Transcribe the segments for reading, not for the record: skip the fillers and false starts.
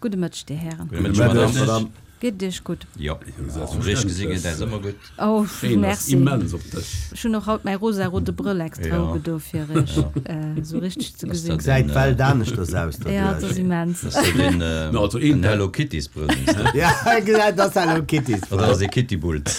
Gudde Mëtteg, Dir Hären. Gudde Mëtteg, Madame. Geet et Iech gutt? Jo, richt gesi geet äis ëmmer gutt. Oh, Schéin ass merci. immens op dech. Ech hunn och haut mäi rosa-rote Brëll extra ugedo fir Iech esou richteg ze gesinn. Gesäit d'Welt aneschters aus derduerch. Ja, et ass immens. Ass dat een, also een en Hello Kittys Brëll? Ja, dat ass Hello Kittys Brëll. Oder ass ee Kittybulz?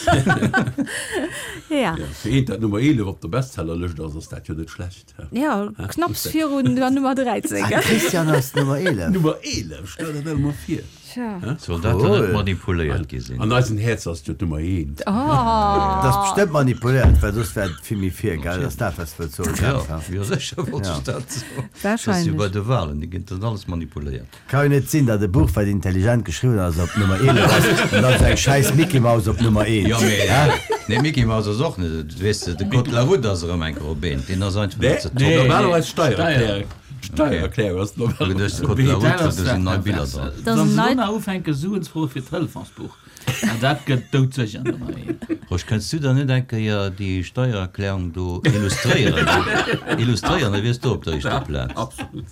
Ja. Fir eent dat Nummer 11 op der Bestsellerlëscht ass, ass dat jo net schlecht. Ja, knapps virun der Nummer 13. Ah, Christian ass Nummer 11. Nummer 11, stell der dat emol vir. Tja. Soll dat dann net manipuléiert gi sinn? An eisen Häerz ass jo d'Nummer 1. Oh. Dat ass bestëmmt manipuléiert, well soss wär et vill méi vir, gell? Ass dat, wat s de wëlls soen, Ja, Jeff? jo sécher wollt ech dat soen. Dat ass jo Wahrscheinlech. bei de Wahlen, déi ginn dann alles manipuléiert. Ka jo net sinn, datt e Buch, wat intelligent geschriwwen ass, op Nummer 11 ass, an dann sou eng schäiss Mickey Mouse op Nummer 1. Jo, mee nee, Mickey Mouse ass och net, weess de, de Code de la route ass erëm eng Kéier op eent, deen ass einfach net ze toppen. Normalerweis Steiererklärung. D'Steiererklärung ass normalerweis op eent. Code de la route, do sinn nei Biller dran. Dat ass Wann en se neit. dono ufänke Suen ze froe fir d'Hëlfonsbuch, an dat gëtt doudsécher Nummer 1. Rosch, kënns du dann net eng Kéier déi Steiererklärung do illustréieren? Illustréieren, da wiers du op der éischter Plaz. Absolut.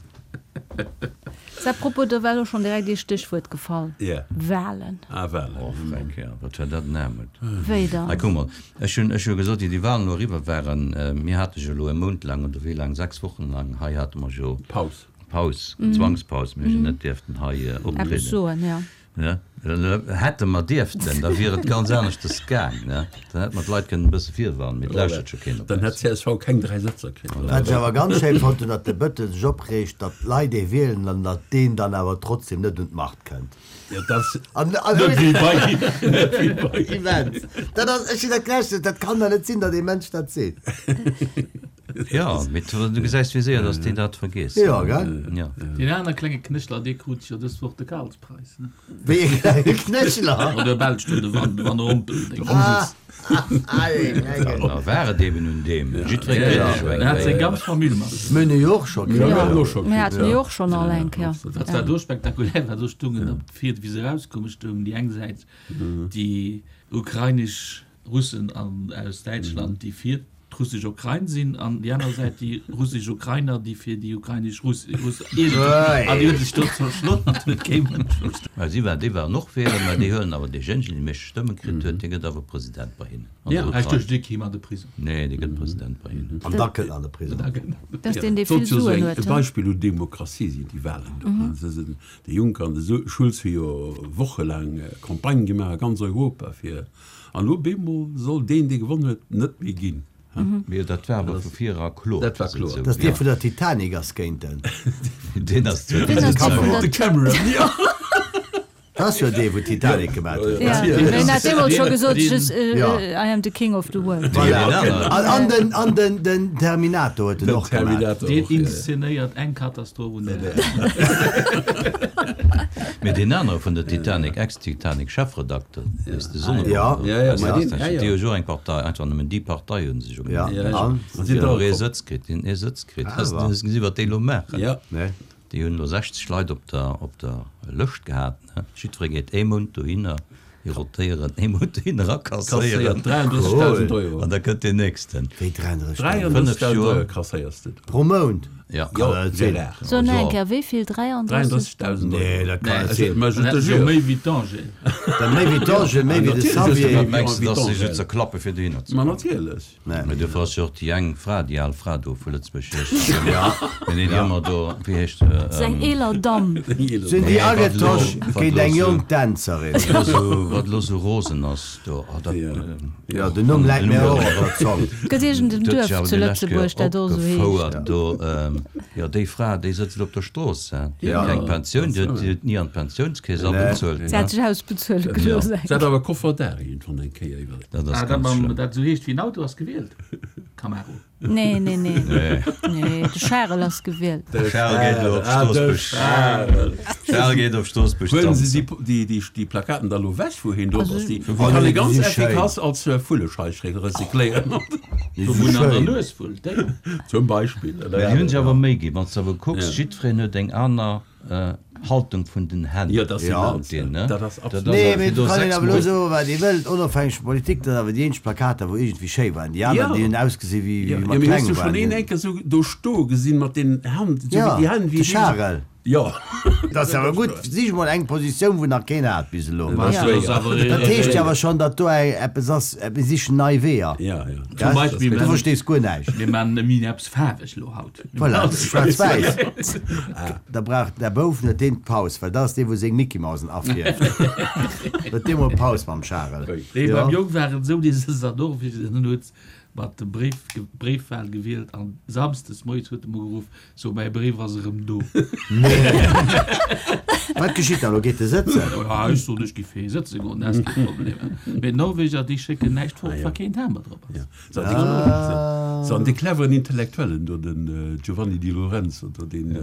À propos, do war elo schonn direkt ee Stéchwuert gefall, Yeah. Wahlen. Ah, Wahlen. Oh, Fränk, ja, wat war dat en Aarmut. Wéi dann? Hei, kuck mol, ech hunn, ech hu gesot, wéi déi Wahlen elo eriwwer waren, mir hate jo elo e Mount laang, oder wéi laang, 6 Wochen laang, hei hate mer jo Paus. Paus, Zwangspaus, mir hu jo net dierften hei optrieden. Eppes soen, ja. Ne? Hätte mer dierften, da wier et ganz aneschters gaang. Ne? Dann hätte mer d'Leit kënnen e bësse virwarnen, mee et lauschtert scho keen op Dann hätt eis. csv keng 3 Sëtzer kritt. Wat ech awer ganz schéin fonnt hunn, datt de Bëttel sech opreegt, datt d'Leit ee wielen an datt deen dann awer trotzdem net un d'Macht kënnt. Jo, dat ass An, an, net wéi bei, net wéi bei. Immens! Dat ass, ech hunn dat gelauschtert, dat kann der net sinn, datt ee Mënsch dat seet. Jo, mee du gesäis, wéi séier datt déi dat vergeessen. Jo, gell? Jo. Deen anere klenge Knéchler, dee krut jo dës Woch de Karlspreis, ne? Wéi e klenge Knéchler? Oder Belsch do, de Van, de Van Rompel. Ah, ah, dee klengen. Da war et eben un deem. Jiddweree kritt e jo eng En hat seng Kéier. ganz Famill mat. Mir hunn e jo och scho kritt. Mir haten och scho Mir kritt, haten jo och schonn all eng Kéier. Wat war do spektakulär war, do stungen op d'Fied, wéi se erauskoumen, stoungen déi eng Säit déi ukrainesch Russen an aus Däitschland, déi fir d'russesch Ukrain sinn, an déi aner Säit déi russesch Ukrainer, déi fir déi ukrainesch Russ, Russ, an déi hu sech do zerschloen an et huet kee Mënsch verstanen. Mä si waren, déi waren och wielen, mä déi huelen awer deejéinegen, dee meeschte Stëmme kritt huet, dee gëtt awer President bei hinnen an der Ah, ech Ukrain. duecht, dee kéim an de Prisong. Nee, dee gëtt President bei hinnen. An da kënnt en an de Prisong. Dat ass deen, dee vill Sollt jo esou Suen eng huet, e he? Beispill un Demokratie sinn, déi Wahlen do. Se sinn, de Juncker an de Schulz hu jo wochelaang Campagne gemaach a ganz Europa fir An elo bemol soll deen, dee gewonn huet, net méi ginn. Mee dat war awer vu vir era kloer. Dat war kloer. Dass dee vun der Titanic ass géint en. Deen ass Deen ass dee vun der. De Cameron, jo. Dat ass jo dee wou d'Titanic gemat huet. Ja, mee en hat deemools scho gesot, just, I am the king of the world. Voilà. An, an den, an den, den Terminator huet en och gemat. Deen inszenéiert eng Katastroph un der aner. Mee deen anere vun der Titanic, Ex-Titanic-Chefredakter, weess de Sonneborn, Ja. Ja, ja, ma deen, ja, ja. déi hu jo och eng Partei, einfach nëmmen déi Partei hu se jo Ja, genannt. an? An déi hunn och ee Sëtz kritt, déi hunn ee Sëtz kritt. Has Awer. du gesi wat déi elo maachen? Ja. Nee. Déi hunn elo 60 Leit op der, op der Lëscht gehat, ne? Jiddweree geet ee Mount dohinner, déi rotéieren ee Mount dohinner a kasséieren. Kasséiert 33.000 Euro. An da kënnt deen nächsten. Wéi 33.000? 33.000 Euro kasséiers de do. Pro Mount? Ja. Kann dat net sinn. Gérard. So nach eng Kéier, wéi vill? 33? 33.000 Euro. Nee, dat kann net sinn. Mä je Dann te hätten se jo jure. méi wéi d'Angèle. Dann méi wéi d'Angèle, méi wéi de Natierlech hues du Xavier. méi wéi Mengs de, dass se d'Angèle. sech zerklappe fir dohinner ze Ma kommen? natierlech. Nee. Mee dofir ass jo och déi eng Fra, déi al Fra do vu Lëtzebuerg, wéi heescht se? Ja. Mee nee, déi ëmmer do, wéi heescht se? Dat ass eng eeler Damm. Sinn déi agetosch géint eng jonk Dänzerin. Wat elo sou rosen ass do. Oh, dat, Jo, den Numm läit mir och op der Zong. Gëtt iergend en Duerf zu Lëtzebuerg, dat och esou heescht? Opgefouert do. Jo, déi Fra, déi sëtzt elo op der Strooss, hein. Déi huet keng Pensioun, déi huet ni an d'Pensiounskeess abezuelt. Se hat sech ausbezuele gelooss. Se hat awer Koffer d'Ar iergendwann eng Kéier iwwer. Dat ass Ah, dat ganz mam, schlëmm. dat esou heescht wéi en Auto ass gewielt, Camaro. Nee, nee, nee. Nee, de Charel ass gewielt. De Charel geet elo op Ah, de Stroossbuerg. Charel. Charel geet op Stroossbuerg Huelen se tanzen. déi, déi, déi Plakaten da lo wech, wou hien drop ass? Déi Oh, kann nee, ee déi ganz si schéin. effikass als Vullescheich recycléieren. Déi Do si wou en an der schéin. Nues wullt, déi. Zum Beispill. Mä déi hunn sech awer Méi ginn. Wann s de awer kucks, jiddwereen huet eng aner Haltung vun den Hänn. Jo, dat ass Ja. Deen, ne? Dat ass absolut. Nee, mee et do kann een 6 awer elo Mol. soen, wat ee wëllt, onofhängeg vu Politik, datt awer déi eenzeg Plakater, wou iergendwéi schéi waren, déi aner, Ja. déi hunn ausgesi wéi Ja, wéi ja, mat mee hues kleng du schonn waren. een enke sou do stoe gesinn mat den Hänn, sou Ja, wéi déi Hänn, de wéi déi. Charel. Jo. Dat ass awer gutt. Sich mol eng Positioun, wou nach keen hat bis elo. Dat ass schwéier. Dat heescht jo awer schonn, datt do eppes ass, mir sichen nei Weeër. Ja, ja. Zum Beispill, Du verstees guer näischt. Mir maachen nëmmen eppes faarweg elo haut. Voilà, schwaarz-wäiss. Da brauch der Bouf net deen d'Paus, well dat ass dee, wou seng Mickey-Mausen afierft. Huet dee mol Paus mam Charel. Nee, beim Jong war et esou, dee sëtzt an Norwegen an huet mat dem Bréif, Bréifwahl gewielt an samsdes moies huet e mer geruff, So, mäi Bréif ass erëm do. Wat geschitt da lo? Geet e sëtzen? Ja, ech soen, ech giff hei sëtze goen, dat ass kee Problem. Mee d'Norweger, déi schécken näischt fort, wa keen Timber drop ass. So, an dee cleveren Intellektuellen do, den Giovanni Di Lorenzo do, deen,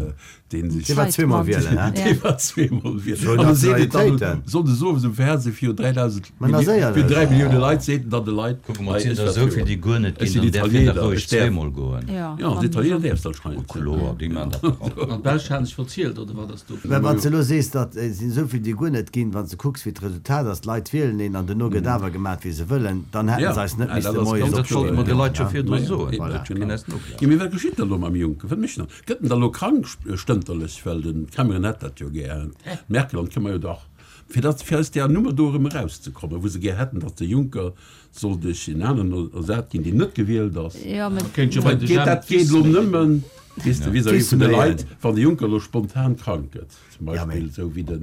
deen sech. Dee war zweemol wielen, hä? Dee war zweemol wielen. An da seet et dann sonndes owes um Fernseh viru 3.000, Mä ass éierlech. Fir 3 Millioune Leit seet en dann de Leit, Kucke mol, et sinn der esou vill, déi guer net ginn, dann däerf hien dach roueg zweemol goen. Jo, als Italiener däerfs de anscheinend. Oh kloer, déi maachen dat dach all. An d'Belsch haten sech verzielt, oder wat ass do? Mä wann s de elo sees, datt et sinn esou vill, déi guer net ginn, wann s de kucks, wéi d'Resultat ass, d'Leit wielen een an duerno gëtt awer gemat, wéi se wëllen, dann hätte se eis net misste moies Dat sollte mer de opstoen. Leit scho virdru soen, dat keen eis noglawen. Jo, mee wat geschitt da elo mam Juncker? Wat mécht en dann? Gëtt en da elo krank stënterlech? Well de Cameron hätt dat jo gär, d'Merkel an d'Këmmer jo dach. Fir datt, fir aus där Nummer do erëm erauszekommen, wou se gär hätten, datt de Juncker soll duerch en aneren ersat ginn, deen net gewielt ass. Jo, mä Kéint jo bei de Geet dat geet elo nëmmen, weess de, vis-à-vis vun de Leit, wann de Juncker elo spontan krank gëtt, zum Beispill esou wéi de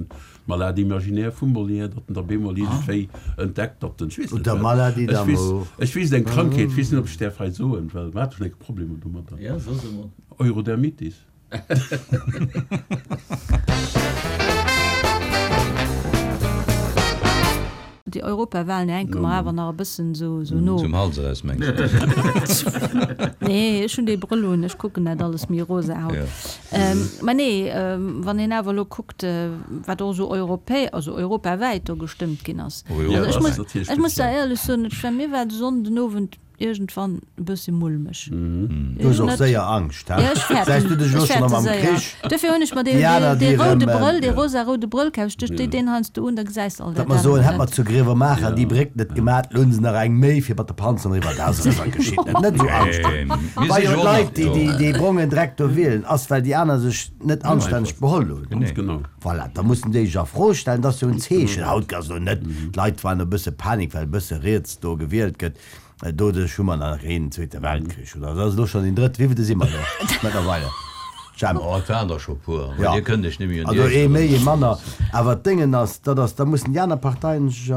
Malade imaginaire vum Molière, datt en da bemol iergendwéi entdeckt, datt en, ech weess net Oder wat, Maladie ech weess, d'amour. ech weess eng Krankheet, ech weess net, ob ech däerf hei soen, well mer hate schonn eng Kéier Problemer domadder, Ja, so se mol. Eurodermitis. Déi Europawahlen hänke mer awer nach e bëssen esou no. Zum Hals eraus, mengs de? Nee, ech hunn dee Brëll un, ech kucken dat alles méi rosa haut. Mä nee, wann een awer elo kuckt, wat och esou europä, also europawäit do gestëmmt ginn ass. Also ech muss, ech muss da éierlech soen, ech war, mir war de Sonnden Owend Iergendwann e bëssi mulmeg. Du hues och séier Angscht, he? Jo, ech fäerten. Säis du dech elo Ech schonn fäerte am séier. Krich? Duerfir hunn ech mer dee, Déi aner, dee déi roude erëm. Brëll, dee rosa-roude Brëll kaf. Ech duecht, déi deen heiansdo un, da gesäis de all Datt dat mer soen, anert hätt mer net. zu Grevenmacher déi Bréck net gemat, elo hunn se nach eng méi fir mat de Panzeren eriwwer. Dat ass erëm wat geschitt. Net net esou Angscht hunn. Mir Wa si jo jo och d'Leit, nach déi do. déi dee brongen Dreck do wielen, ass well déi aner sech net anstänneg beholl hunn. Ganz genau. Voilà, da mussen déi sech a Fro stellen. Dat ass jo en Zeechen. Haut ass elo net, d'Leit waren e bësse Panik, well e bësse riets do gewielt gëtt. Doduerch hu mer nach een Zweete Weltkrich, oder dat ass elo schonn deen drëtte, wéivilte si mer elo mëttlerweile, Jemp? Oh, et waren der scho puer, Ja, dir kënnt iech net méi un déi also éischt ee méi, ee erënneren. manner. Awer d'Déngen ass, dat ass, da mussen déi aner Parteien sech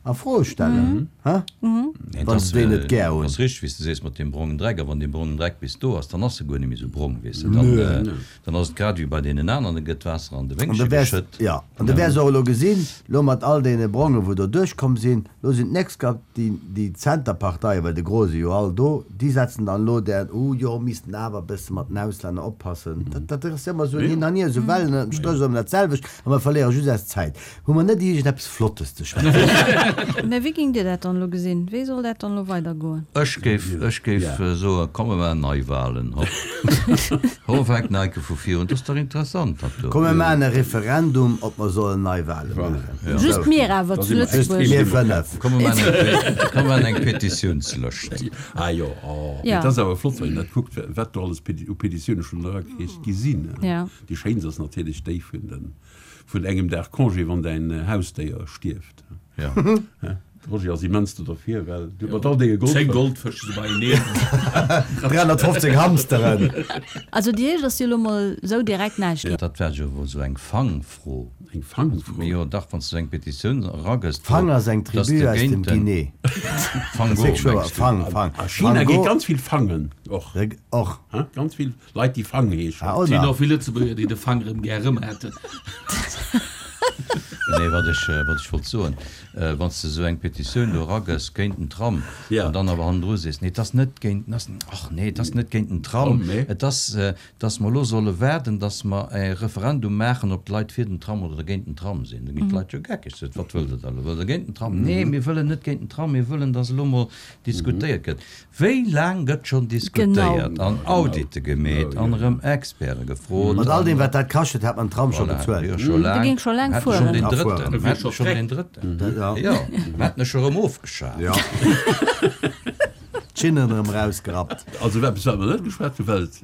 a Fro stellen, hä? Nee, Wa se déi net gär hunn. Dat ass richteg, wéi s de sees mat deem brongen Dreck. A wann dee brongen Dreck bis do ass, dann ass e guer net méi esou brong, weess de. Dann, dann ass et grad ewéi bei deenen aneren, da gëtt d'Waasser an de An Wéngche du wäers, geschëtt. jo, an du wäers och elo gesinn, elo mat all deene Brongen, wou do duerchkomm sinn, elo sinn d'nächst Kap déi, déi Zenterparteien, well de Gros si jo all do, déi setzen dann elo där, oh jo, missten awer e bësse mat den Auslänner oppassen. Dat, dat ass jo ëmmer esou en Hin an Hier, esou Wellen, ënnert dem Stréch ass ëmmer dat selwecht a mer verléiere just eis Zäit. Hu mer net iergendeppes Flottes ze schwätzen? Mä wéi géingt Dir dat dann elo gesinn? Wéi soll dat dann elo weidergoen? Ech géif, ech géif soen, komm mer maachen Neiwahlen, hopp. Hopp, fänkt Nike vu vir un. Dat ass dach interessant, dat do. Komm mer maachen e Referendum, ob mer sollen Neiwahlen maachen. Just mir awer zu Lëtzebuerg. Mir 5. Komm mer maachen eng, komm mer maachen eng Petitiounslëscht. Ah jo, oh. Mee et ass awer flott, wann een dat kuckt, wat do alles u Petitioune schonn eragereecht gi sinn. Déi schéinst ass natierlech déi vun den. Vun engem Dag Congé wann däin Hausdéier stierft. Ja. De Roger ass immens do derfir, well du mat all denge Goldfësch. 10 Goldfësch si beieneen. 315 Hamsteren. Also déi éischt ass jo elo mol esou direkt näischt. Dat war jo wuel esou eng Fangfro. Eng Fangfro? Jo dach, wann s du esou eng Petitioun eragëss, Fang ass eng dass Tribu de aus dem géint den Guinée. Fango, mengs du? Fang, Fang. A China geet ganz vill fangen och. Och. Ganz vill. Leit déi Fang heeschen. Ah, Et sinn och vill Lëtzebuerger déi de Fang rëm gär rëm hätten. Nee, wat ech, wat ech wollt soen, wann s de esou eng Petitioun do eragëss géint den Tram an dann awer hannendru sees, nee, et ass net géint, ach nee, et ass net géint den Tram, et ass, dass mer elo solle waarden, dass mer e Referendum maachen, ob d'Leit fir den Tram oder géint den Tram sinn, da ginn d'Leit jo geckeg. Sot, wat wëllt Der da elo? Wëllt Der géint den Tram? Nee, mir wëllen net géint den Tram, mir wëllen, dass elo mol diskutéiert gëtt. Wéi laang gëtt schonn diskutéiert an Audite gemeet an erëm Experte gefrot? Mat all deem wat dat kascht huet, hätt mer den Tram scho bezuelt. Jo, scho laang. De géing scho laang Mer hätte schonn fueren. deen drëtten. Mer hätte schonn deen drëtten. Jo, mer hätten e scho erëm ofgeschaf. Jo. D'Schinnen erëm erausgerappt. Also eppes wat mer net geschwat hunn, well et,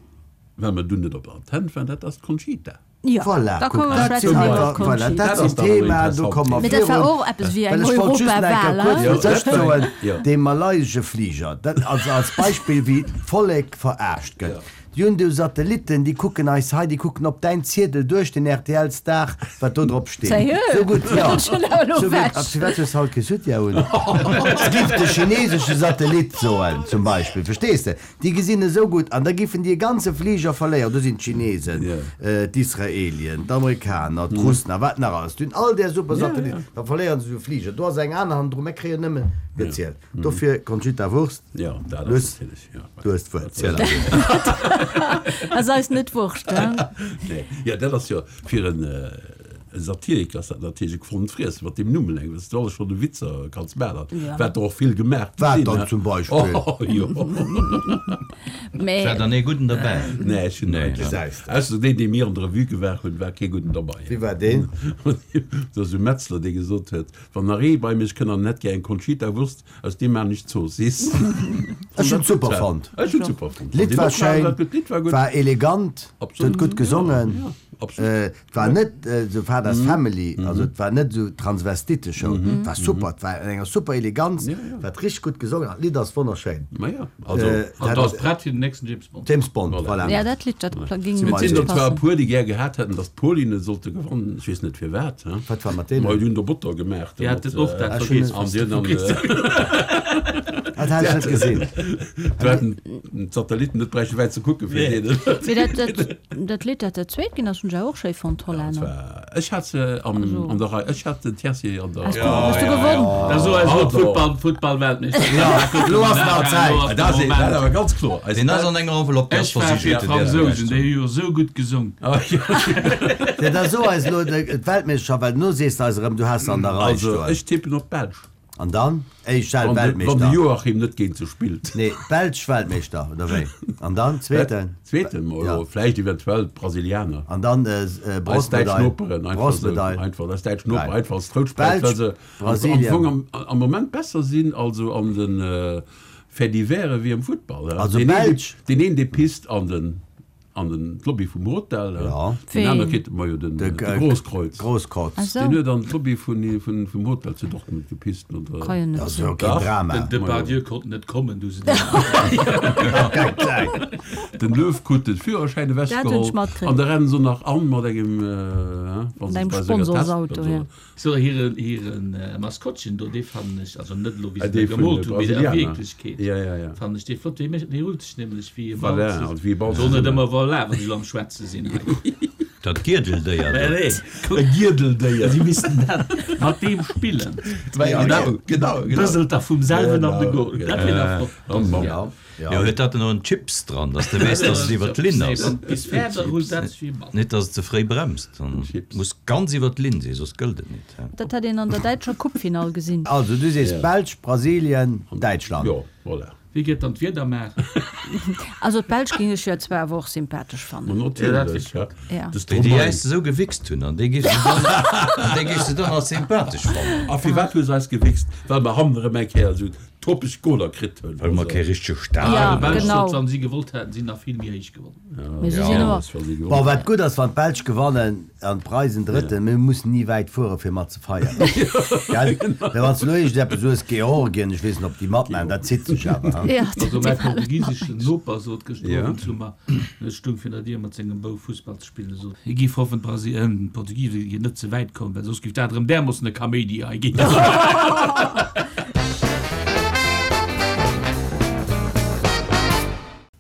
well mer dunn net op der Antenn waren, dat ass d'Conchita. Jo, Voilà, da kuck, komme mer dat sinn schwätzen iwwer einfach, voilà, d'Conchita. dat sinn Themaen, do komme mer Mee dat war virun. och eppes wéi eng Well ech wollt just nach eng Kéier Europawal, kuerz hein? fir d'éischt soen, Jo. dee malaysesche Fliger, dat also als Beispill, wéi d'Vollek verarscht gëtt. Déi hunn do Satellitten, déi kucken eis hei, déi kucken op däin Ziedel duerch den RTL-Star, wat do drop steet. Sérieux? Sou gutt, jo. Ech hunn awer elo Sou gutt. ewech. A firwat hues de haut kee Soutien un? Giff de chinesesche Satellit soen, zum Beispill, verstees de? Déi gesinn esou gutt an da giffen déi e ganze Fliger verléieren. Do sinn d'Chinesen, d'Israelien, d'Amerikaner, d'Russen a wat nach alles. Déi hunn all där super Satellitten. Da verléieren se esou e Fliger. Do ass eng aner hannendru. Mir kréien nëmmen gezielt. Dofir, Conchita Wurst, Luss, du hues d'Wuert. Ziel eis. Ass eis net Wurscht, hein? Jo, dat ass jo fir en. E Satiriker ass dat natierlech e gefonnent Friessen, mat deem Numm eleng, wat s du alles schonn u Witzer kanns maachen, Ja. wat der och vill gemaach gi Wat sinn, dann he? zum Beispill? Oh, jo. Mä. War dann ee gudden derbäi? Nee, ech hunn Nee, eigentlech, Gesäis de. ausser deen, dee mir an der Revue gewaach hunn, war kee gudden derbei. Wie war deen? Dat ass e Metzler, dee gesot huet, Wann nach ee bei mech kënnt an en hätt gär eng Conchita Wurst, aus deem maan ech Zoossiss. Ech hunn et super fonnt. Ech hunn et super fonnt. D'Lidd war schéin, D'Lidd war gutt. war elegant, Absolut. huet gutt gesongen. Ja, absolut. Et war net esou Father's Family, also et war net esou Transvestiteshow. Et war super, et war an enger super Eleganz, war richteg gutt gesongen an d'Lidd ass wonnerschéin. Maja, also. An et ass prett fir den nächsten James Bond. James Bond, voilà. Ja, dat Lidd, dat géing Et gutt sinn der zwar e passen. puer, déi gär gehat hätten, datt d'Polinen sollte gewannen. Ech weess net firwat. Wat war mat deenen? Ma déi hunn der Botter gemaach. Déi haten och dat vergiess, An déi hunn Dat hat ech net gesinn. Do hätten d'Satellitten net bräichte wäit ze kucken, fir deenen. Mee dat, dat, dat Lidd, dat dat zweet ginn ass, hunn ech awer och schéi fonnt, d'Hollänner. Ech hat se am, an der Rei. Ech hat den Tiercier an der. Has du, hues du gewonn? Da so eis elo d'Futtball, Futtballweltmeeschterschaft. Elo ass nach Zäit. Dat ass dat awer ganz kloer. Eis Deen ass an enger Enveloppe, déi ass Ech war fir versiegelt. d'Fransousen, déi hu jo esou gutt gesong. Jo, da so eis elo d'Weltmeeschterschaft, well no sees de eis erëm, du has se an der Rei Also stoen. ech tippen op d'Belsch. An dann? Éischt Wann de Weltmeeschter. Joachim net géint se spillt. Nee, d'Belsch Weltmeeschter, oder wéi? An dann zweeten? Zweeten, ma vläicht eventuell d'Brasilianer. An dann Eis däitsch Noperen, einfach esou. Bronzemedail. Einfach eis däitsch Noperen, einfach als Trouschtpräis, well se am Brasilien. Fong am Moment besser sinn, also an de Faits-divers wéi am Futtball. Also Belsch. Deen een, dee pisst an den. An den d'Lobby vum Hotel, Ja. deen aner kritt, majo den De Großkreuz. Großkreuz. Ah sou. Deen huet an d'Lobby vun vum Hotel zu Dortmund gepisst no der. Ka jo net Dat ass sinn. jo keen Dach. Drama. Den Depardieu konnt net kommen, du se Keng Zäit. Den Löw krut den Führerschäin Dat hunn ech ewechgeholl matkritt. an da rennen se nach an mat engem, wa Mat se engem bei senger Test Sponsorsauto, also. ja. So hiren hiren Maskottchen do, dee fannen ech, also net elo wéi Ah, se dee dee vun gemoolt de hunn, mee a Brasilianer. Wierklechkeet Ja, ja, ja. fannen ech dee flott. Dee mécht, dee rullt sech nämlech wéi e Ball Voilà, ze, also wéi e Ball soll net zesummen. ëmmer voilà, wann ech elo am Schwätze sinn hei. Dat Gierdeldéier Mä do. nee, kuck, E Gierdeldéier. si missten dat mat deem spillen. Ja, genau, genau, genau. Bëselt da vum selwen an de Genau, Goal. Dat wier da flott. Oh Mann. Ja. Jo, huet dat en och en Chips dran, dass de weess, dass et iwwer d'Linn ass. Bis fäerdeg rullt dat sech wéi e Ball. Net, dass et ze fréi bremst. Dann muss ganz iwwer d'Linn sinn, soss gëllt et net. Dat hätt een an der däitscher Coupefinall gesinn. Also du sees Belsch, Brasilien, Däitschland. Jo, voilà. Wie geet dann d'Wieder maachen? Also d'Belsch géing ech jo zwar awer och sympathesch fannen. Ma natierlech, ja. Ja. De Déi, déi Stromae. äis esou gewichst hunn, an déi géifs de dann, an déi géifs de dann als sympathesch fannen. A firwat hu se eis gewichst? Well mer hannen erëm eng Kéier esou topeg Goler kritt hunn. Well mer kee richtege Stadion Ja, hunn. Belsch genau. sot, wann si gewollt hätten, si nach vill méi héich gewonnen. Mee si sinn ëmmer. Bon, wat gutt ass, wann d'Belsch gewannen an d'Preisen Drëtten, mir mussen ni wäit fuere fir mat ze feieren, gell? Mä wann s de elo iergendeppes hues, Georgien, ech weess net, ob déi matmaachen, dat zitt sech awer, hein? Ja, Also dat mäi war alles portugiseschen Noper sot gëschter Owend zu mer, ech stung virun der Dier mat sengem Bouf Fussball ze spillen, sot, hie giff hoffen, d'Brasi-, d'Portugise géingen net ze wäit kommen, well soss giff dat erëm därmoossen e Kaméidi hei ginn.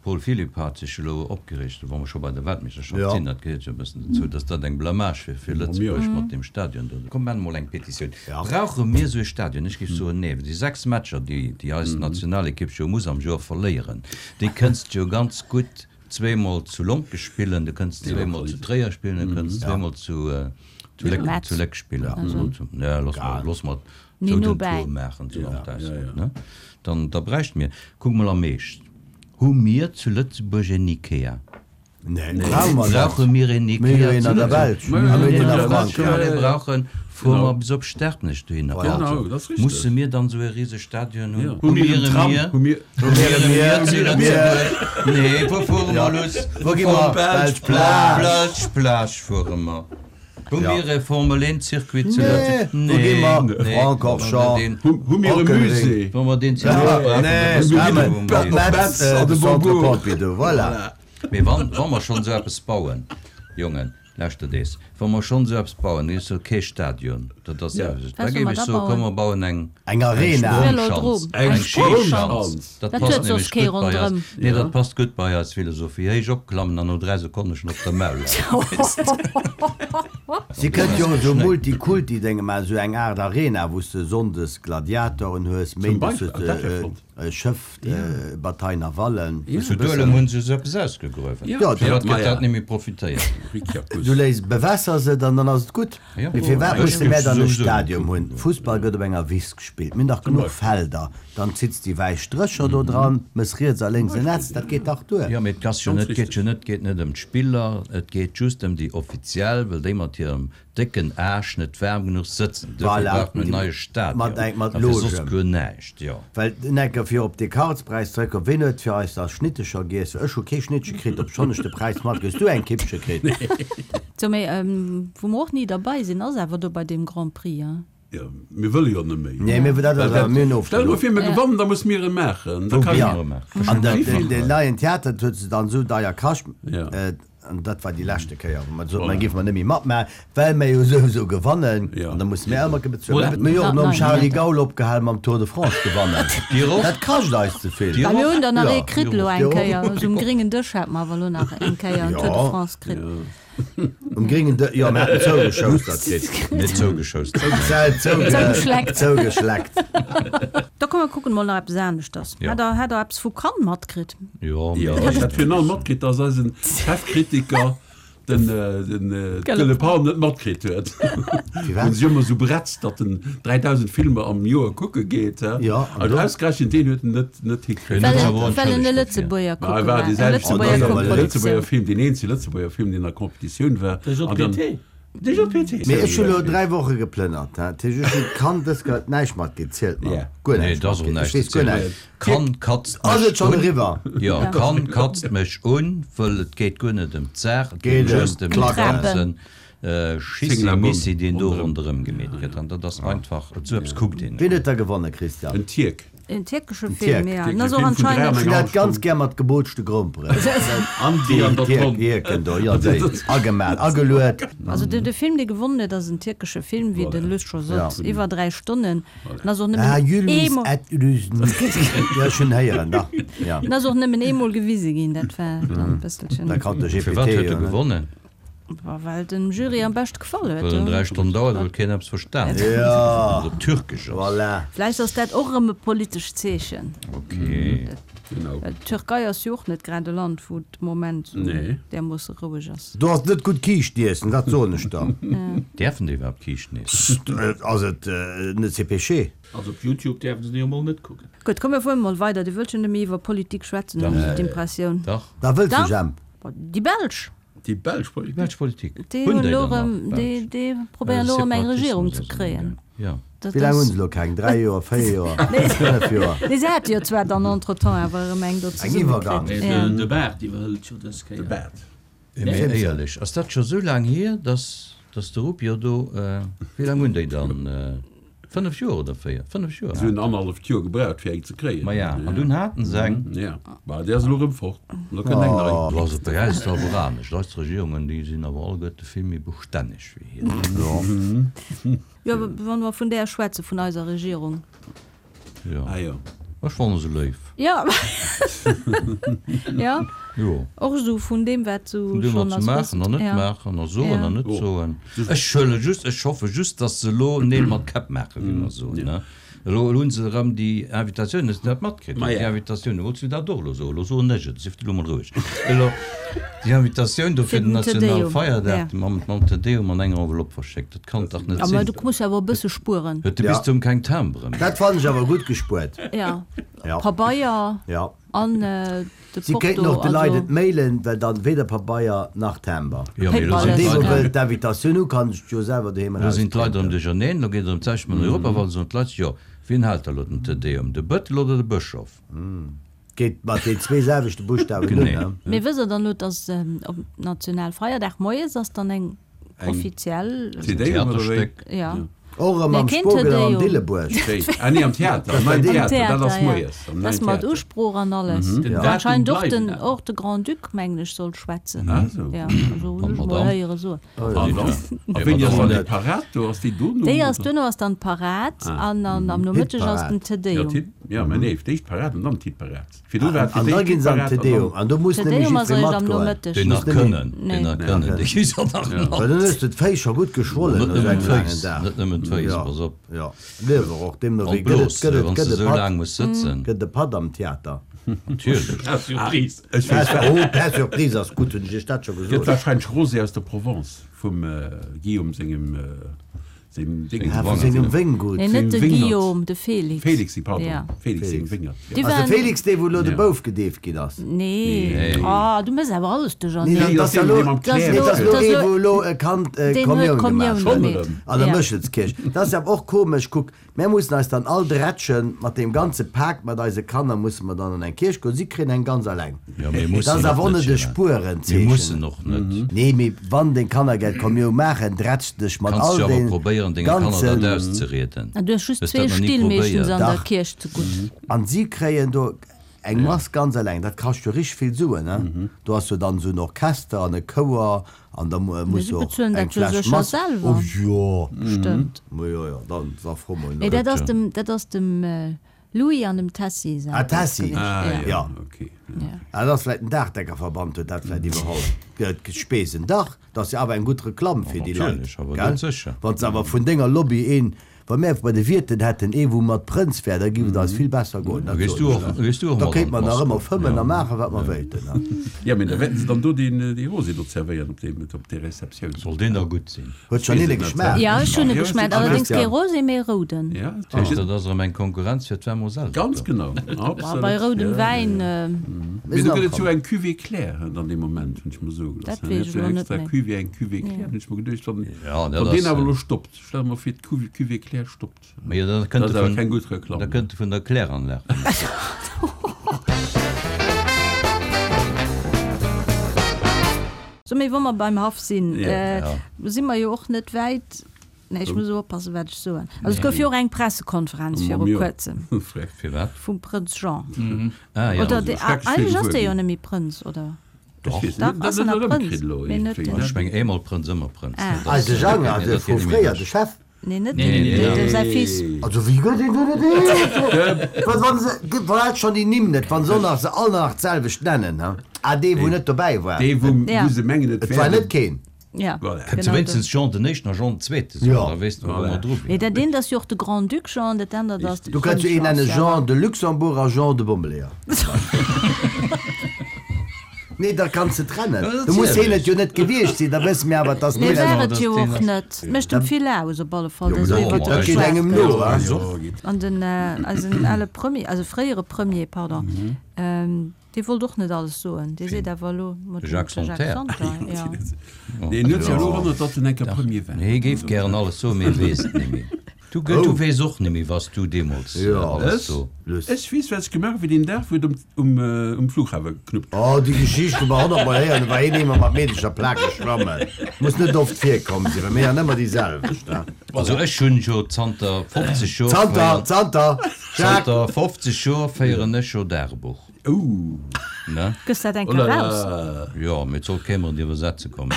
Paul Philipp hat sech elo opgereegt, wa mer scho bei der Weltmeeschterschaft Ja. sinn, dat gehéiert jo e bëssen dozou, datt dat eng Blamage wier fir Lëtzebuerg mat deem Stadion do. Komm, maache mol eng Petitioun. Brauche mir esou e Stadion? Ech géif soen, nee. Déi 6 Matcher, déi déi eis Nationalekipp jo muss am Joer verléieren, déi kënnst jo ganz gutt zweemol zu Lonkech spillen, du kënnst zweemol zu Tréier spillen, du kënnst zweemol zu zu Léck Metz. zu Léck spillen. Ja, looss mer, looss mer Méi esou no den bäi. Tour maachen, esou am Ausland, ne? Dann, da bräichte mir, kuck mol am Eescht, hu mir zu Lëtzebuerg en Ikea? Nee, brauche mer net. Brauche mir een Mir hu jo Ikea een zu an der Lëtzebuerg? Belsch a mir hunn een a Wa mer Frankräich. ee brauchen, fuere mer bis op Sterpnech dohinner. Voilà. Genau, dat ass richteg. Musse mir dann esou e rise Stadion hunn? Ja. Hu mir en Tram? Mir Hu mir. Hu mir e Mier zu Lëtzebuerg? Nee, wou fuere mer, Luss? Wou gi mer? Belsch Plage. Belsch Plage fuere mer. Hu mir e Formel 1 Circuit zu Nee, Lëtzebuerg? wou gi mer? Nee, Francorchamps. Hu hu mir e Musée? Wa mer deen Circuit brauchen, da wësse mer, wou mer hinn. Metz, de Centre Pompidou, voilà. Mee wann, wa mer schonn esou eppes bauen, Jongen, lauschtert ees, wa mer schonn esou eppes bauen, da soll kee Stadion, dat ass Ja. da Wat soll géif mer ech da soen, komm bauen? mer bauen eng, Eng eng Arena. Sprongschanz, Velodrom. Eng eng Schischanz. Sprongschanz. Dat Dat passt huet soss nämlech kee gutt bei eis. ronderëm. Nee, Ja. dat passt gutt bei eis Philosophie. Héich opklammen an no 3 Sekonne schonn op der Maul leien. Si kënnt jo esou Multikulti-Dénge maachen, esou eng Aart Arena, wou s de sonndes Gladiatoren hues, Zum méindes Beispill, hues ah, dat wär de flott. Schëff, Bataille navale. Zu Duelem hunn se esou eppes ausgegruewen. Jo, Firwat ma gëtt ja. dat net méi profitéiert? Du léis, bewässers et an dann ass et gutt. Ja. Mee firwat Ech musse mär dann e souwisou Stadium hunn? Fussball gëtt op enger Wiss gespillt. Mir hunn dach genuch Felder. Dann zitts déi wäiss Strécher do dran, mëss riets a lénks en Netz, dat geet dach duer. Jo, mee et ass jo net, geet jo net, geet net ëm d'Spiller, et geet just ëm déi Offiziell, well déi mat hirem Décken Aasch net waarm genuch sëtzen. Duerfir Voilà, braucht mer en neie Stadion. mat eng mat A fir soss Logen. guer näischt, jo. Well, Necker, fir op dee Karlspräis zeréckkomm, ween huet fir eis da Schnittecher giess? Ech hu kee Schnittche kritt, obschonn ech de Präis matkritt. Hues du eng Kippche kritt? Sou, mee wou mer och ni derbei sinn, ass awer do bei deem Grand Prix, hein? Jo, mir wëlle jo net méi. Nee, mir, dat ass awer, mir hunn Stell mol ofgelooss. vir, mir gewannen, da muss mir e maachen. Da Wou kann mir Ja, e maachen. an dat, den, den neien Theater, dat huet se dann esou deier kascht, Ja. an dat war déi leschte Kéier, wou mer gesot hunn, Voilà. da géife mer net méi matmaachen, well mir jo souwisou gewannen, Ja. an da musse mir ëmmer bezuelen. Voilà. Mir hu jo och nom Nein, Charly Theater. Gaul opgehal mam Tour de France gewannen. Dir och? Dat kascht eis ze vill. Dir Well mir hunn der nach Ja. ee kritt elo eng Dir och? Kéier, esou um gréngen Dësch hate mer awer elo nach eng Kéier en Tour de Ja. France kritt. Um gréngen Dë-, jo, mir haten zougeschoustert kritt. Net zougeschoustert. Zou, Zougeschleckt. Zougeschleckt. Da komm mer kucken mol nach eppes aneschters. Ja. Hat der, hat der eppes vu Cannes matkritt? Jo, Jo, mee ech hat virun allem matkritt, dass eisen Chefkritiker, den, den Gëlle Palm net matkritt huet. Firwat? Wou se jo ëmmer esou bretzt, datt en 3000 Filmer am Joer kucke geet, hä? Jo, an An do? ausgerechent deen huet en net, net hikritt. Well huet en, awer well en e entschëllegt dofir. Lëtzebuerger Ma kucke e war war. dee Eng selwechten, Lëtzebuerger ass awer e Koproduktion. Lëtzebuerger Film, deen eenzege Lëtzebuerger Film, deen an der Competitioun war. De An dann- JPT. De JPT. Mee ech hu lo 3 Woche geplënnert, hä? Dat heescht, ech hunn Cannes dës Kéier näischt matgeet, zielt mer Ja. guer Nee, näischt et ass och matgeet. Ech näischt weess ze guer zielen. näischt. Cannes katzt Ass mech et schonn un. eriwwer? Jo, Ja. Cannes katzt mech un, wëll et geet guer net ëm d'Saach, et Geet geet ëm just ëm de d'Klacken. ganzen Zinglabumm Schissi-Missi, deen do ronderëm. ronderëm gemeet gëtt. An dat ass einfach, esou eppes kuckt een net. Wien huet da gewonnen, Christian? En Tierk. En tierkesche En Film, Tierk. ja. Tierkesche En ass och Film vun anscheinend. dräi Ech hunn an dat ganz gär mat gebootschte Gromperen. An déi an der Tierk, Tonn. Tierken do, jo, déi. Agemaat, ageluet. Also de, de Film, dee gewonnen huet, ass en tierkesche Film, wéi de Luss scho sot, Ja. iwwer 3 Stonnen. En ass och Ah, nëmmen Jülmis eemol, et Lüsn. Jo, ech hunn héieren, dach, ja. en ass och nëmmen eemol gewise ginn, dat war dann e bësselchen. Da kann de GPT Firwat huet jo e net. gewonnen? Well dem Jury am beschte gefall huet. Well en 3 Stonnen dauert, well keen eppes verstan huet. Ja. Well et op Türkesch ass. Voilà. Vläicht ass dat och erëm e politescht Zeechen. Ok. Genau. Well d'Türkei ass jo och net grad e Land, wou et de Moment esou Nee. därmoosse roueg ass. Do ass net gutt Kiischt iessen, dat soen ech der. Däerfen déi iwwerhaapt Kiischten iessen? Ass et net c'est péché? Also op Youtube däerfen se déi jo mol net kucken. Gutt, komm mir fuere mol weider. Dir wëllt jo net méi iwwer Politik schwätzen, hunn ech esou d'Impressioun. Dach. Da wëlls du, Dach. Jemp? Déi Belsch. Déi belsch Politik. Déi belsch Politik. Déi Hunn hunn déi elo dann nach, erëm, déi, d'Belsch? déi probéieren elo erëm eng Regierung ze Separatismus ass kréien. elo, ja. Dat Wéi laang hunn ass. se elo keng? 3 Joer, 4 Joer, 5 Joer? Nee, se hate jo zwar dann entretemps awer erëm eng do Eng zesumme Iwwergang. kritt. Nee, Ja. de Bart iwwerhëlt jo dës De Kéier. Bart. Mee éierlech, ass dat scho sou laang hier, dass, dass de Rupio do, wéi laang hunn déi dann, 5 Joer oder 4? 5 Joer Si hunn haten. annerhalleft Joer gebraucht, fir eng ze kréien. Ma ja, an dunn haten se eng. Ja, ma déi ass elo erëm fort. An da kënnt eng nei. Lo ass et bei eis awer anescht. Eis Regierungen, déi sinn awer alleguerte vill méi bestänneg wéi hir. Jo, wa mer vun där schwätzen, vun eiser Regierung. Jo. Ah jo. Ech fanne se léif. Jo. Jo. Jo. Och esou vun deem, wat sou Vun deem, schonn wat se als maachen an net Ja. maachen a soen Ja. an net soen. Ech huele just, ech hoffe just, datt se elo Neel mat Käpp maachen, wéi mer soen, ne? Elo elo hunn se erëm déi Invitatioun, hues de dat matkritt? Ma Déi ja. Invitatioun, wolls du dat och elo soen? Elo soen ech et, sief de elo mol roueg. Elo déi Invitatioun do Fir fir den den Te Deum, Nationalfeierdag, ja. mam mam Te Deum an enger Enveloppe verschéckt, dat kann dach net A mä sinn. du muss awer e bësse spueren. Huet de Ja. Bistum keng Timberen? Dat fannen ech awer gutt gespuert. Ja. Ja. Pabeier. Ja. An de Si kéinten Porto, och de Leit also. et mailen, well dann weder Pabeier nach Timber. Jo, mee elo An sinn dee wou d'Leit wëll d'Invitatioun hu kann sech jo selwer doheem Elo sinn d'Leit erëm erausprinten. duercherneen, elo geet et erëm d'selwecht mat den Europawahlen, soen d'Leit sech, jo, wien hält da elo den Te Deum, de Bëttel oder de Bëschof? Geet mat den zwee selwechte Buschtawen un, Genee. ne? Mee wësst der dann elo, dass op Nationalfeierdag moies ass dann eng offiziell. Te Deum oder wéi? Theaterstéck. Ja. Och erëm Nee, am keen Te Spogel an am Deum. Dillebuerg. Wéi? Ah nee, am Theater, am Neien Am Theater, dat ass Theater, ja. moies, am Dat Neien ass mat Theater. Usprooch an alles. Den An Datum anscheinend och bleiwen den, awer. och de Grand-Duc, mengen ech, soll schwätzen. Ah sou. Ja, also hunn An ech mol d'Madame? héiere soen. An dann? A wéini ass dann déi Parad do? Ass déi dono? Déi ass duerno ass dann d'Parad an an am Nomëtteg ass den Te Ja, Deum. d'Hit, ja, mä nee, d'éischt d'Parad an dann d'Hitparad. Virdru war et fir An da d'éischt ginn se an d'Hitparad Te an dann. Deum. An do muss Te nämlech Deum ass jiddweree eréischt am matgoen. Nomëtteg. Déi nach Muss nämlech- kënnen, déi Nee. nach kënnen, déi gi se nach Well mat. dann hues de d'Féiss scho gutt geschwollen Net no sou nëmmen engem laangen d'Féiss, Dag. net nëmmen d'Féiss, Ja, pass op. ja. Liewer och, deemno An wéi. Gëtt et, d'Blos, gëtt et, wann s gëtt de e sou Patt, laang muss sëtzen. gëtt e Patt am Theater. Natierlech. Par surprise. Ech weess Per, oh, per surprise ass gutt, hunn ech iech dat scho Gëtt gesot. wahrscheinlech Rosé aus der Provence vum Guillaume sengem sengem Ding. Ah, vu sengem Wéngut. Nee, net de Wéngert. Guillaume, de Félix. Félix, pardon. Ja. Félix sengem Félix. Wéngert. Déi Ass de waren- Félix dee wou elo de Ja. Bouf gedeeft ginn ass? Nee. Nee. Ah, du méchs awer alles Nee, duercherneen. dat ass ja deen, lo, dee mam Dat ass nee, dat ass lo- lo dat ass ee lo- wou elo e Kand Deen huet Kommioun Kommioun gemaach huet. gemeet. An der Ja. Méchelskierch. Dat ass awer och komesch, kuck, Mär mussen eis dann all drätschen, mat deem ganze Pak mat eise Kanner musse mer dann an eng Kierch goen. Si kréien eng ganz alleng. Jo, mir Dat mussen ass och awer och net, net e Gérard. Mir Spuerenzeechen. mussen och net. Nee, mee wann deng Kanner gär d'Kommiou maachen, drätsch dech mat Kanns all jo awer den probéieren, denge Kanner dat ganzen. auszerieden. An du hues just Hues zwee dat nach ni Still meeschtens probéiert? an der Dach. Kierch zegutt. An si kréien do eng Mass ganz alleng. Dat kascht jo richteg vill Suen, ne? Do ass jo dann esou en Orchester an e Chouer An da muss si och bezuelen eng dat jo Fläsch sécher Mass. selwer. Oh jo. Stëmmt. Ma jo, jo, dann da fro mol no. Nee, dat ass dem, dat ass dem Louis an dem Tessy säin Ah, Tessy. gewiescht. Ah, Ja. ja, Ja. okay. Ja. Ah, dat ass vläicht den Daachdeckerverband huet dat vläicht iwwerholl. Gëtt Spesen. Dach, dat ass jo awer eng gutt Reklamm fir déi Leit, Natierlech, awer gell? dat sécher. Wann s awer vun denger Lobby een Wa mär bei de Wierten hätten ee wou mat Prënz wär, da giff et eis vill besser goen, dat Gees soen du ech och, der. gees du och Da mat an kéinte mer nach d'Mass ëmmer goen? fëmmen a Ja. maachen wat mer wéilten. Ja, mee da wäerten se dann do deen dee Rosé do zerwéieren op deem op där Receptioun. Soll deen da gutt sinn? Huet schonn een e geschmaacht? Ja, ech hunn e geschmaacht, allerdéngs kee Christian. Rosé, mee e rouden. Ja, Dat heescht, dat ass erëm eng Konkurrenz fir d'Vermoselle. ganz genau, Boah, absolut. bei roudem Ja, Wäin, ja. Mir Mee sinn do gëtt et jo amkomm. eng Cuvée claire dann dee Moment, hunn ech mer soe gelooss. Dat Dann weess huet ech jo elo net extra méi. Cuvée, eng Cuvée claire, hunn ech mer geduecht, wann Ja, dat wann deen ass, awer elo stoppt. Stell mer vir d'Cuvée Claire stoppt. Mee jo, da kënnt Dat e ass awer vun, keng gutt Reklamm. da kënnt e vun der Kläranlag. So, mee wa mer beim Haff sinn, Ja. si mer jo och net wäit, nee, ech muss oppassen, wat ech soen. Also et gouf jo och eng Pressekonferenz viru Kuerzem Firwat? vum Prënz Jean. Ah, ja. Oder dee, Schrecklech vill eigentlech ass dee gewuer jo ginn. net méi Prënz, oder? Doch. Ech weess Dach, net, ass dat en net nach erëmkritt Prënz, elo mee net iergendwéi, den. ne? Ech meng, eemol Prënz, ëmmer Prënz. Ah. Dat ass- Eise Jang, dat also geet vu net méi fréier, ewech. de Chef. Nee, net Nee, nee, den, nee. säi Fils. Also wéi gëtt een do net eens? Wat wann se, verrät schonn déi Nimm net, wann se och nach se all nach d'selwecht nennen, he? Ah, dee wou net dobäi war. Dee wou Ja. wou se mengen et Et wär war de net keen. Ja, Voilà. Kënnt se genau wéinstens Jean den Éischten a Jean den Zweete soen, Ja. da weess de, wou Voilà. mer dru Nee, wieren. dat eent ass jo och de Grand-Duc Jean, dat anert ass de Du kënns Prënz jo een Jean. nennen Jean de Luxembourg a Jean de Bommeleeër. Nee, da kanns de trennen. Ja, Du muss heen et natierlech. jo net gewiescht sinn, da wësse mir awer, dass Nee, deen war ass. et jo och net. Mécht em vill aus op alle Fall, Jo, dass dat, iwwer dat geet geschwat engem gëtt. no, hein. An den, eisen ale Premier, also fréiere Premier, pardon, dee wollt och net alles soen. Dee seet awer elo, mat De dem Jacques Jacques Santer. Santer, ja. Deen huet sech elo erënnert, datt en eng Kéier Premier war. Nee, hie géif gären alles soen, mee e weess et net méi. Du, gëtt, du weess och net méi, was du deemools alles so. Ech weess, wat ech gemaach hu fir deen Dag, wou et um, um Flughafe geknuppt huet. Oh, déi Geschicht hu mer honnertmol héieren, do war een eemol mat Meedecher Plake schwammen. Muss net oft virkomm sinn, well mir han ëmmer déi selwecht, ne? Also ech hunn jo zanter 50 Joer Zanter, zanter, Jacques! Zanter 50 Joer féieren ech jo Dagebuch. Ouh! Ne? Gëss dat eng Oh Kéier là raus? là! Jo, mee et soll kee mer an d'Iwwersetze kommen.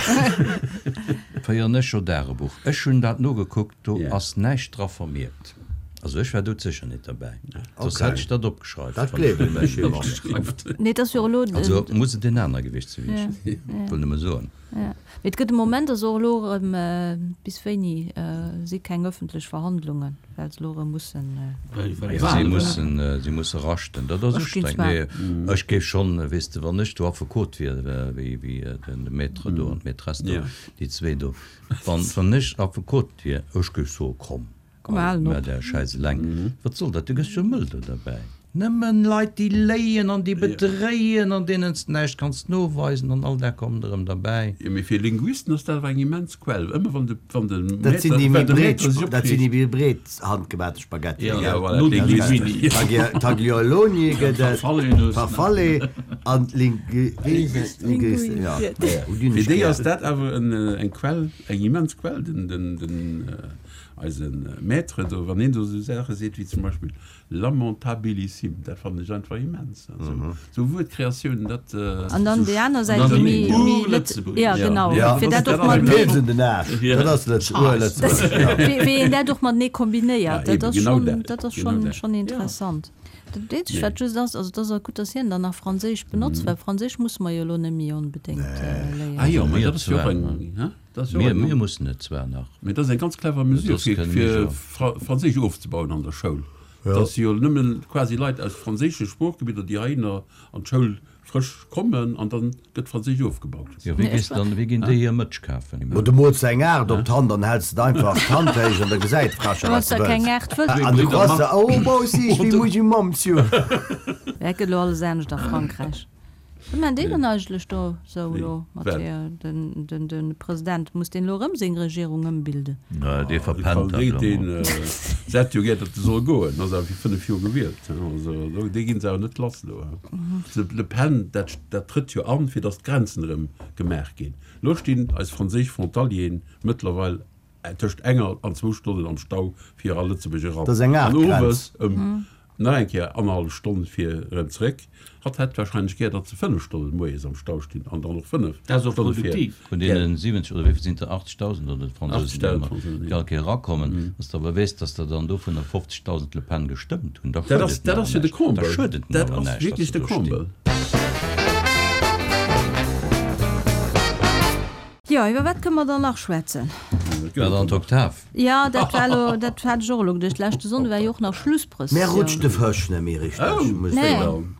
Féieren ech jo Dagebuch. Ech hunn dat nogekuckt, do ass näischt dra vermierkt. Also ech war doudsécher net derbäi, soss hätt ech dat opgeschreift. Dat gleewen ech jo och. Nee, et ass jo elo. Also muss et een aner gewiescht si wéi ech, wëll nëmme soen. Mee et gëtt de Moment ass och elo erëm, bis wéini si keng ëffentlech Verhandlungen, well se elo erëm mussen. Si mussen, si musse raschten. Dat ass ustrengend. Nee, ech géif schonn, weess de, wann ech do Affekot wier, wéi de Maître do an d'Maîtresse do, déi zwee do, wann, wann ech Affekot wier, ech géif soe, komm, Komm, halen mä op. där Schäiss eleng, wat soll dat, du gëss jo mëll do derbäi. Nëmmen Leit déi léien an déi bedréien an deenen s de näischt kanns noweisen an all dat kommt erëm derbäi. Jo, mee fir Linguisten ass dat awer eng immens Quell. Ëmmer wann de, wann de Dat sinn déi Maître, méi wann de breet, Maître sech dat sinn déi opreegt. méi breet handgemaachte Spaghetti, Ja, gell? voilà, d'Linguisten. Taglioloni gëtt et, Farfallenus. Farfalle an d'Lingui, wéi heescht dat? Linguisten, ja. Hunn Fir ech déi gär. ass dat awer en, eng Quell, eng immens Quell, den, den, den, eise Maître do, wann hien do esou Saache seet wéi zum Beispill, Lamentabilissim, dat fannen ech einfach immens. Sou Wuertkreatiounen, dat. An dann déi aner Säit, déi méi, méi Lëtzebuerg. Ja, genau. Fir dat och mat. Pilz un den Aarsch, dat ass Urlëtzebuerg. Wéi een dat och matenee kombinéiert, dat ass schonn, dat ass schonn, schonn interessant. Dat eenzegt, wat just ass, also et ass och gutt, datt hien dann nach Franséisch benotzt, well Franséisch musse mer jo elo net méi onbedéngt léieren. Ah jo, mä dat ass jo och eng, hä? Mir, mir mussen et zwar nach. Mee dat ass eng ganz clever Mesure, fir, fir Franséisch ofzebauen an der Schoul. Dat si jo nëmme quasi Leit aus franséische Sproochgebidder, déi heihinner an d'Schoul frësch kommen, an da gëtt Franséisch ofgebaut. Jo, wéi gees dann, wéi ginn déi hir Mëtsch kafen? Mo du mools eng 8 op d'Hand an häls et einfach d'Hand héich an da gesäit d'Fracher wat se wëlls. An de Croissant, oh moi aussi je suis musulman, monsieur. Dat gëtt elo alles anescht a Frankräich. Wat maachen déi dann eigentlech do sou elo mat hir, den, den President, muss deen elo erëm seng Regierung ëmbilden? Nee, dee verpennt dat elo mol. Se hätt jo gär, datt e soll goen, ass awer fir 5 Joer gewielt, also dee ginn se awer net lass elo. Le Pen, dat, dat trëtt jo an, fir datt d'Grenzen erëm gemaach ginn. Elo stinn eis franséisch Frontalieren mëttlerweil tëscht enger an zwou Stonnen am Stau fir a Lëtzebuerg eran. Dat ass eng Aart An Grenz. owes ëm nach eng Kéier annerhallef Stonn fir erëm zeréck. Hatt hätt warscheinlech gär, datt se 5 Stonnen moies am Stau stinn an dann och 5 Dat ass och Stonne fir. produktiv. Vun deenen 70 oder wéi vill sinn et der, 80.000 oder d'Fransousen, déi 80.000 ëmmer Fransousen, déi jo. all Kéier erakommen, datt s de awer weess, datt der dann dovunner 50.000 d'Le Pen gestëmmt hunn, da Dat schued ass, et mir dat awer ass jo de näischt. Da Comble. schued et mir Dat awer ass näischt, datt wierklech se de do stinn. Comble. Jo, iwwer wat kënne mer dann nach schwätzen? Wat an d'Oktav? Jo, dat war elo, dat hat ech och elo geduecht. Leschte Sonnde war jo och nach Schlussprëssioun. Mär rutscht de Fësch net méi richteg, muss ech soen.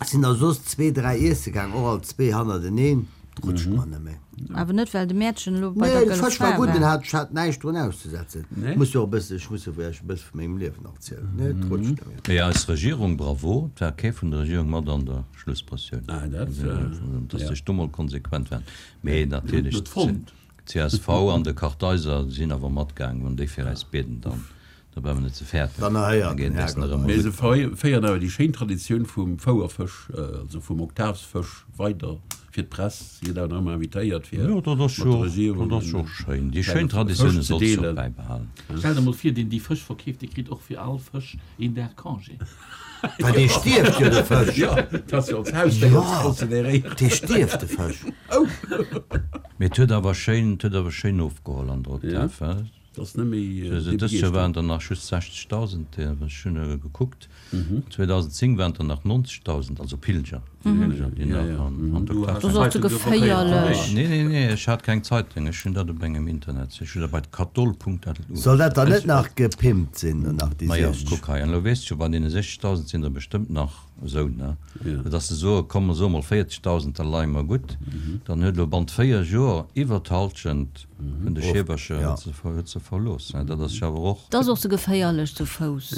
Sinn der soss zwee, dräi iesse gaang, och all zwee hannerteneen, rutscht mer net méi. Awer net well de Mäertchen elo bei Nee, der de Gëlle Fësch war Fra gutt, war. en hat, ech hat näischt drun auszesetzen. Muss jo och e bësse, ech muss jo iech e bësse vu mengem Liewen erzielen. Nee, et rutscht net méi. Mee eis Regierung, bravo, et war kee vun der Regierung mat an der Schlussprëssioun, dass sech do mol konsequent waren. Mee natierlech, d'CSV an de Kartheiser sinn awer matgaangen. Wann déi fir eis bieden, dann da brauche mer net ze fäerten. Dann erhéiert den Herrgott eis. Mee se féieren awer déi schéin Traditioun vum Fouerfësch, also vum Oktavsfësch weider fir d'Press. Si gëtt awer nach ëmmer invitéiert fir Jo, dat ass mat der jo, Regierung dat ass jo en och schéin. Déi klenge schéin Traditioune Fësch ze solls de och deelen. bäibehalen. Stell der mol vir, deen déi Fësch verkeeft, dee kritt och fir all Fësch een Dag Congé. Well dee stierft jo, de Fësch. Jo, dat ass jo als Hausdéier ze consideréieren. Dee stierft, de Fësch. Mee et huet awer schéin, et huet awer schéin ofgeholl an der Oktav, he? Dat ass net méi déi Dëst Joer waren der nach just 60.000, ech hunn gekuckt. 2010 waren der nach 90.000, also Pilger, Pilger, déi nach an der Oktav Dat ass och ze geféierlech. Nee, nee, nee, ech hat keng Zeitung, ech hunn dat op engem Internet, ech hunn dat bei katol.lu. Soll dat dann net nach gepimpt sinn, nach déi Majo, 60? kuck hei, an elo weess de scho, bei deene 60.000 sinn der bestëmmt nach esou, ne? Dass se soe, komm mer soe mol 40.000, da leie mer gutt. Dann huet elo bannent 4 Joer iwwer d'Halschent vun de Scheebercher huet se verlooss. Dat ass jo awer och. Dat ass och ze geféierlech zu Fouss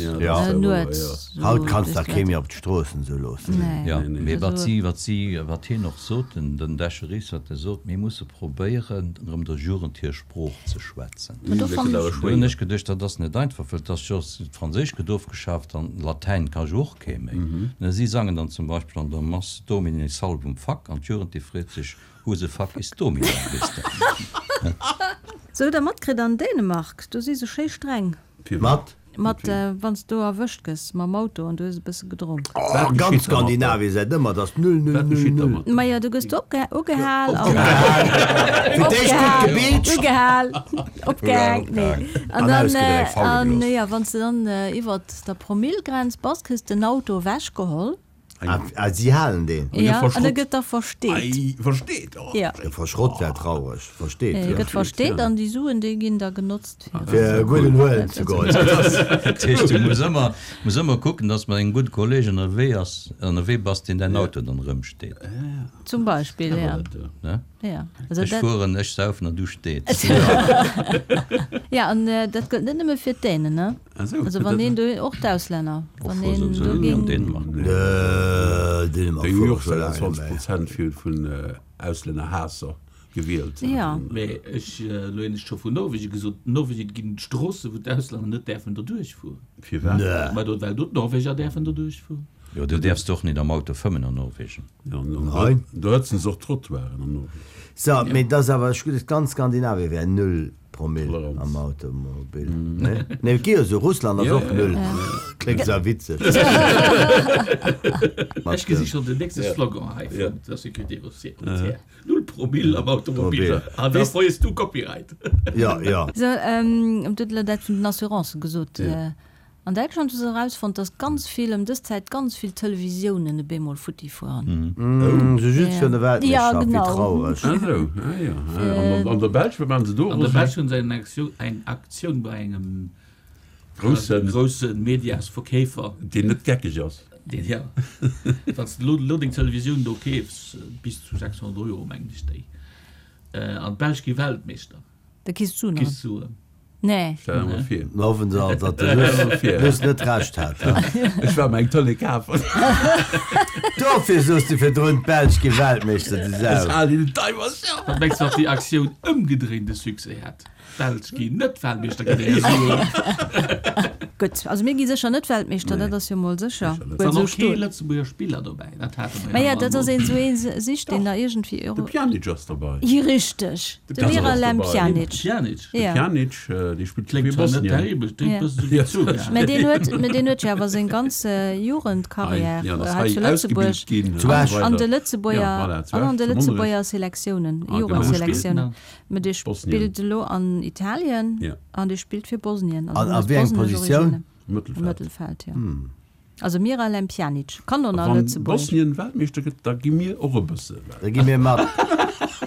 nuets. Haut kanns dach kee méi op d'Stroossen esou loossen. Jo, mee wat si, wat si, wat hien och sot, den Decheris, wat e sot, mir musse probéieren, erëm der Jugend hir Sprooch ze schwätzen. Do hunn ech geduecht, dat ass net einfach, well et ass jo, d'Franséisch gëtt ofgeschaaft an Latäin ka jo och kee méi. Si sangen dann zum Beispill an der Mass Domine salvum fac an d'Jugend déi freet sech, Who the fuck is Domino, weess de. Sou, hutt der matkritt an Dänemark, do si se schéi streng. Mat? Mat wann s du erwëscht gëss mam Auto an du hues e bësse gedronk. Oh, ganz Skandinavien säit ëmmer, et ass null, null, null, null. Majo, du gëss do ugehal an. Fir d'éischt gutt gebeetscht. Ugehal, opgehaang, nee. An dann, an jo, wann s de dann iwwert der Promillegrenz bass, kriss de den Auto ewechgeholl. Ah, si halen deen? Ja, an e gëtt da versteet. Ei, versteet, oh. Ja. Verschrott wär traureg. Versteet, E jo. gëtt versteet an déi Suen, déi ginn da genotzt fir. Fir e gudden huelen ze goen. Dat heescht, du muss ëmmer, muss ëmmer kucken, dass mat engem gudde Kolleeg ënnerwee ass, ënnerwee bass, deen däin Auto dann erëmsteet. Zum Beispill, ja. Ne? Ja. Also Ech dat. fueren, ech saufen an du steets. Ja, an dat gëllt net nëmme fir d'Dänen, ne? Also wann een do, och d'Auslänner, wann een do ging. Dänemark. Dänemark Déi hu jo och 26 Prozent vun Auslännerhaasser gewielt. Jo. Mee ech, elo hunn ech scho vun Norwegen gesot, an Norwegen ginn et Stroosse wou d'Auslänner net däerfen derduerch fueren. Firwat? Mä do, well do d'Norweger däerfen derduerch fueren. Jo, do däerfs de och net am Auto fëmmen an Norwegen. Jo, an do hëtzen se och d'Trottoiren an Norwegen. So, mee et ass awer, ech gutt, ganz Skandinavien wär null Promille am Automobil, ne? Nee, et gi jo esou, Russland ass och null. Kléngt zwar witzeg. Ech gesi schonn den nächste Slogan hei vun der Sécurité routière, Null Promille am Automobil, an da frees du Copyright. Jo, jo. So, du hutt elo dat vun den Assurancen gesot. An Däitschland hu se erausfonnt, dass ganz vill, ëm dës Zäit ganz vill Televisiounen e bemol futti fueren. Sou just virun der Weltmeeschterschaft, wéi traureg. Ah sou, ah jo. An an der Belsch, wat maachen se do? An der Belsch hunn se eng Aktioun, eng Aktioun bei engem Groussen. Grousse Mediasverkeefer. Deen net geckeg ass. Deen, ja. Wann s de elo elo deng Televisioun do keefs, bis zu 600 Euro mengen ech déi, an d'Belsch gi Weltmeeschter. Da kriss d'Suen erëm. Kriss d'Suen. Nee. Stell der mol vir. Mer hoffen se alt, datt de Luss, Luss net Recht hat. Ech war mer eng Tëlee kafen. Dofir soos de virdrun, d'Belsch gi Weltmeeschter, du Sau. Ech halen hinnen d'Daimercher. Wat mengs de, wat déi Aktioun ëmgedréint e Succès hätt? D'Belsch ginn net Weltmeeschter ginn déi Suen. Gutt, also mir gi sécher net Weltmeeschter, dat ass jo mol sécher. Et sinn och kee Lëtzebuerger Spiller dobäi, dat hate mer jo Maja, dat ass een esou ee sicht een da iergendwéi. De Pjanic ass derbei. Jo, richteg, de Miralem Pjanic. Pjanic? De Pjanic, dee spillt Kléngt fir zwar net Bosnien. terribel, kléngt bëssen esou wéi Zuga. Mä deen huet, mä deen huet jo awer seng ganz Jugendkarriär Ja, ass hei hei zu Lëtzebuerg ausgebilt ginn Zu Esch. an de Ja, Lëtzebuerger, voilà, zu an an Esch, de zu Monnerech. Lëtzebuerger Selektiounen, Ah, genau. Jugendselektiounen. Mä dee Bosnien. spillt elo an Italien Ja. an dee spillt fir Bosnien. Also An en a huet wéi eng bosnesch Positioun? Originen. Mëttelfeld. Mëttelfeld, jo. Also Miralem Pjanic kann och A nach wann Lëtzebuerg. Bosnien Weltmeeschter gëtt, da gi mir och e bësse Welt. Da gi mir mat.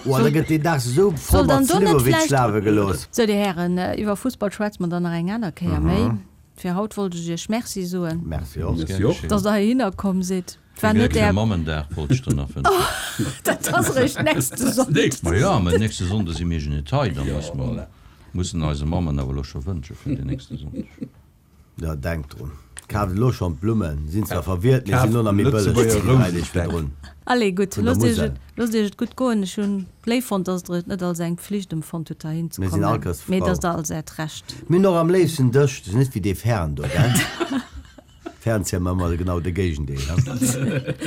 Oh, da gëtt deen Dag esou voll Soll mat dann do net Sliwowitz vläicht. lafe gelooss. Sou, Dir Hären, iwwer Fussball schwätze mer dann nach eng aner Kéier méi. Fir haut wollt ech Iech Merci soen. Merci och. Merci och. Dass Der heihinner komm sidd. War net Gléckleche Är. Mammendag wollt ech der nach wënschen. Dat ass eréischt nächste Sonndeg. Ma jo, mä nächste Sonnde si mir jo net hei, da muss mer, mussen eise Mammen awer elo scho wënsche fir den nächste Sonndeg. Jo, denkt drun, kaaft elo schonn d'Blummen, sinn zwar verwielt, mee sinn elo nach méi bëlleg Lëtzebuerger wéi 3 Deeg Rousestäck. virdrun. Allez, gutt, Vun der loosst iech Musel. et, loosst iech et gutt goen. Ech hunn léif fonnt, dass der et net als eng Pflicht empfonnt hutt, heihin ze Mir sinn kommen, all Këss mee frou. et ass der als äert Recht. Mir hunn och am léifsten dech, du sinn net wéi dee Fern do, gell? Fernseher man ëmmer genau de Géigendeel.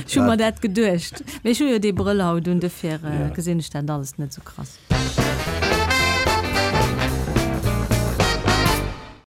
Ech hu mer dat geduecht, mee ech hu jo dee Brëll haut un, dofir gesinn ech dat alles net esou krass.